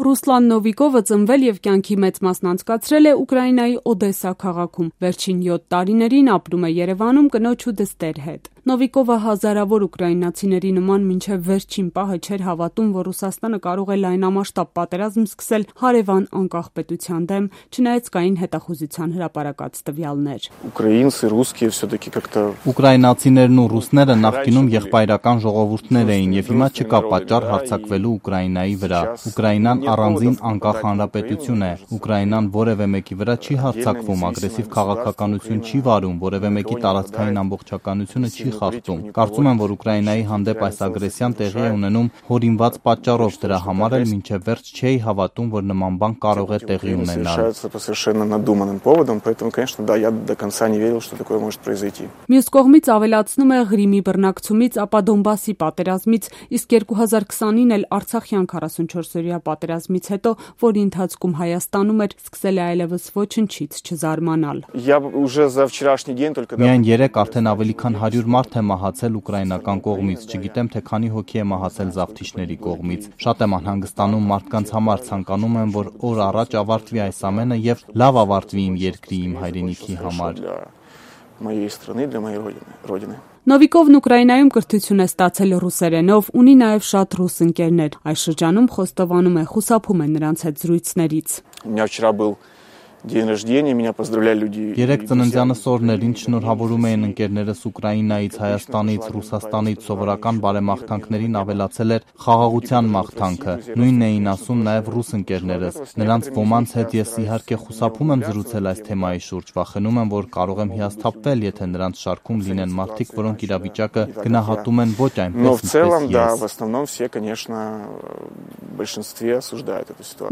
Ռուսլան Նովիկովը ծնվել եւ կյանքի մեծ մասն անցկացրել է Ուկրաինայի Օդեսա քաղաքում։ Վերջին 7 տարիներին ապրում է Երևանում կնոջ ու դստեր հետ։ Նովիկովը հազարավոր ուկրաինացիների նման մինչև վերջին պահը չէր հավատում, որ Ռուսաստանը կարող է լայնամասշտաբ պատերազմ սկսել հարևան անկախ պետության դեմ, չնայած կային հետախուզության հրապարակած տվյալներ։ Ուկրաինացիներն ու ռուսները նախկինում եղբայրական ժողովուրդներ էին եւ հիմա չկա պատճառ հարձակվելու Ուկրաինայի վրա։ Ուկրաինան առանձին անկախ հանրապետություն է։ Ուկրաինան որևէ մեկի վրա չի հարձակվում, ագրեսիվ քաղաքականություն չի վարում, որևէ մեկի տարածքային ամբողջականությունը չի խախտում։ Կարծում եմ, որ Ուկրաինայի հանդեպ այս ագրեսիան տեղի է ունենում հորինված պատճառով, դրա համար էլ մինչև վերջ չէի հավատում, որ նման բան կարող է տեղի ունենալ։ Մյուս կողմից ավելացնում է Ղրիմի բռնակցումից, ապա Դոնբասի պատերազմից, իսկ 2020-ին էլ Արցախյան 44-օրյա պատերազմից հետո, որի ընթացքում Հայաստանում էր, սկսել է այլևս ոչնչից չզարմանալ։ Միայն երեկ արդեն ավելի քան 100 մարդ է մահացել ուկրաինական կողմից, չգիտեմ թե քանի հոգի է մահացել զավթիչների կողմից։ Շատ եմ անհանգստանում մարդկանց համար, ցանկանում եմ, որ օր առաջ ավարտվի այս ամենը եւ լավ ավարտվի իմ երկրի, իմ հայրենիքի համար։ Նովիկովն Ուկրաինայում կրթություն է ստացել ռուսերենով, ունի նաև շատ ռուս ընկերներ։ Այս շրջանում խոստովանում է, խուսափում է նրանց հետ զրույցներից։ Երեկ ծննդյանս օրներին շնորհավորում էին ընկերներս Ուկրաինայից, Հայաստանից, Ռուսաստանից, սովորական բարեմաղթանքներին ավելացել էր խաղաղության մաղթանքը։ Նույնն էին ասում նաև ռուս ընկերներս։ Նրանց ոմանց հետ ես իհարկե խուսափում եմ զրուցել այս թեմայի շուրջ, վախենում եմ, որ կարող եմ հիասթափվել, եթե նրանց շարքում լինեն մարդիկ, որոնք իրավիճակը գնահատում են ոչ այնպես,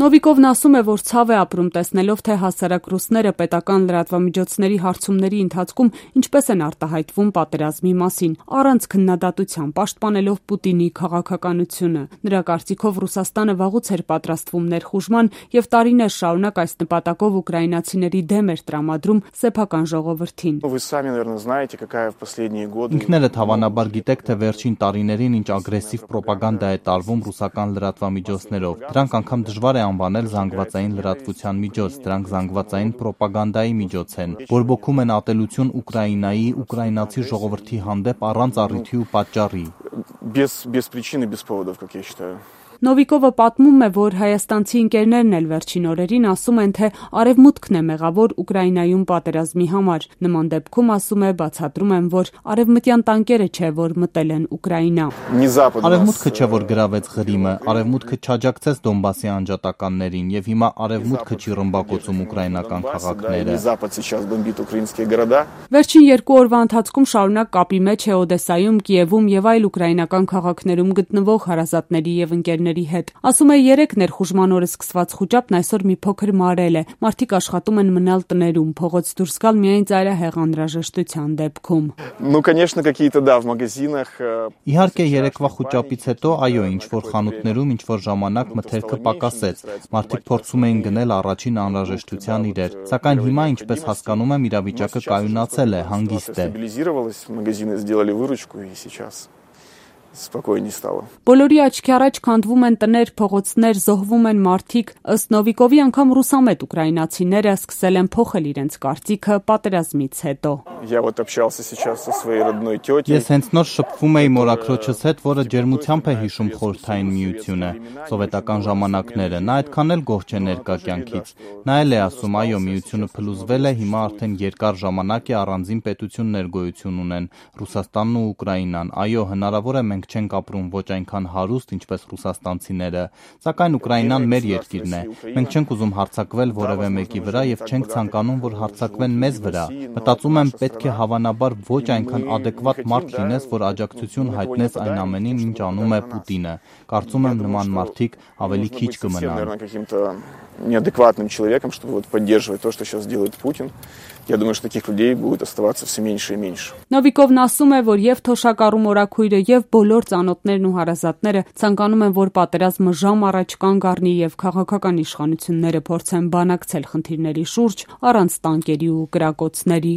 Նովիկովն ասում է, որ ցավ է ապրում տեսնելով, թե հասարակ ռուսները պետական լրատվամիջոցների հարցումների ընթացքում ինչպես են արտահայտվում պատերազմի մասին, առանց քննադատության, պաշտպանելով Պուտինի քաղաքականությունը։ Նրա կարծիքով Ռուսաստանը վաղուց էր պատրաստվում ներխուժման եւ տարիներ շարունակ այս նպատակով ուկրաինացիների դեմ էր տրամադրում սեփական ժողովրդին։ Ինքներդ հավանաբար գիտեք, թե վերջին տարիներին ինչ ագրեսիվ պրոպագանդա է տարվում ռուսական լրատվամիջոցներով։ Դրանք անգամ դժվար է անվանել զանգվածային լրատվության միջոց, դրանք զանգվածային պրոպագանդայի միջոց են, բորբոքում են ատելություն Ուկրաինայի, ուկրաինացի ժողովրդի հանդեպ առանց առիթի ու պատճառի։ Նովիկովը պատմում է, որ հայաստանցի ընկերներն էլ վերջին օրերին ասում են, թե արևմուտքն է մեղավոր Ուկրաինայում պատերազմի համար։ Նման դեպքում, ասում է, բացատրում են, որ արևմտյան տանկերը չէ, որ մտել են Ուկրաինա։ Արևմուտքը չէ, որ գրավեց Ղրիմը, արևմուտքը չաջակցեց Դոնբասի անջատականներին եւ հիմա արևմուտքը չի ռմբակոծում ուկրաինական քաղաքները։ Վերջին 2 օրվա ընթացքում շարունակ կապի մեջ է Օդեսայում, Կիևում եւ այլ ուկրաինական քաղաքներում գտնվող հարազատների եւ ընկերների հետ։ Ասում է, 3 ներխուժման օրը սկսված խուճապն այսօր մի փոքր մարել է։ Մարդիկ աշխատում են մնալ տներում, փողոց դուրս գալ միայն ծայրահեղ անհրաժեշտության դեպքում։ Իհարկե երեկվա խուճապից հետո, այո, ինչ որ խանութներում ինչ որ ժամանակ մթերքը պակասեց։ Մարդիկ փորձում էին գնել առաջին անհրաժեշտության իրեր, սակայն հիմա, ինչպես հասկանում եմ, իրավիճակը կայունացել է, հանգիստ է։ Բոլորի աչքի առաջ քանդվում են տներ, փողոցներ, զոհվում են մարդիկ։ Ըստ Նովիկովի, անգամ ռուսամետ ուկրաինացիները սկսել են փոխել իրենց կարծիքը պատերազմից հետո։ Ես հենց նոր շփվում էի մորաքրոջս հետ, որը ջերմությամբ է հիշում Խորհրդային Միությունը, սովետական ժամանակները։ Նա այդքան էլ գոհ չէ ներկա կյանքից։ Նա էլ է ասում, այո, Միությունը փլուզվել է, հիմա արդեն երկար ժամանակ է առանձին պետություններ գոյություն ունեն, Ռուսաստանն ու Ուկրաինան։ Այո, հնարավոր է մենք չենք ապրում ոչ այնքան հարուստ, ինչպես ռուսաստանցիները, սակայն Ուկրաինան մեր երկիրն է։ Մենք չենք ուզում հարձակվել որևէ մեկի վրա եւ չենք ցանկանում, որ հարձակվեն մեզ վրա։ Մտածում եմ, պետք է հավանաբար ոչ այնքան adekvat մարդ լինես, որ աջակցություն հայտնես այն ամենին, ինչ անում է Պուտինը։ Կարծում եմ նման մարդիկ ավելի քիչ կմնան։ Неадекватным человеком, чтобы поддерживать то, что сейчас делает Путин. Я думаю, что таких людей будет оставаться все меньше и меньше. Նովիկովն ասում է, որ եւ թոշակառու մորաքույրը եւ բոլոր ծանոթներն ու հարազատները ցանկանում են, որ պատերազմը ժամ առաջ կանգ առնի եւ քաղաքական իշխանությունները փորձեն բանակցել խնդիրների շուրջ առանց տանկերի ու կրակոցների։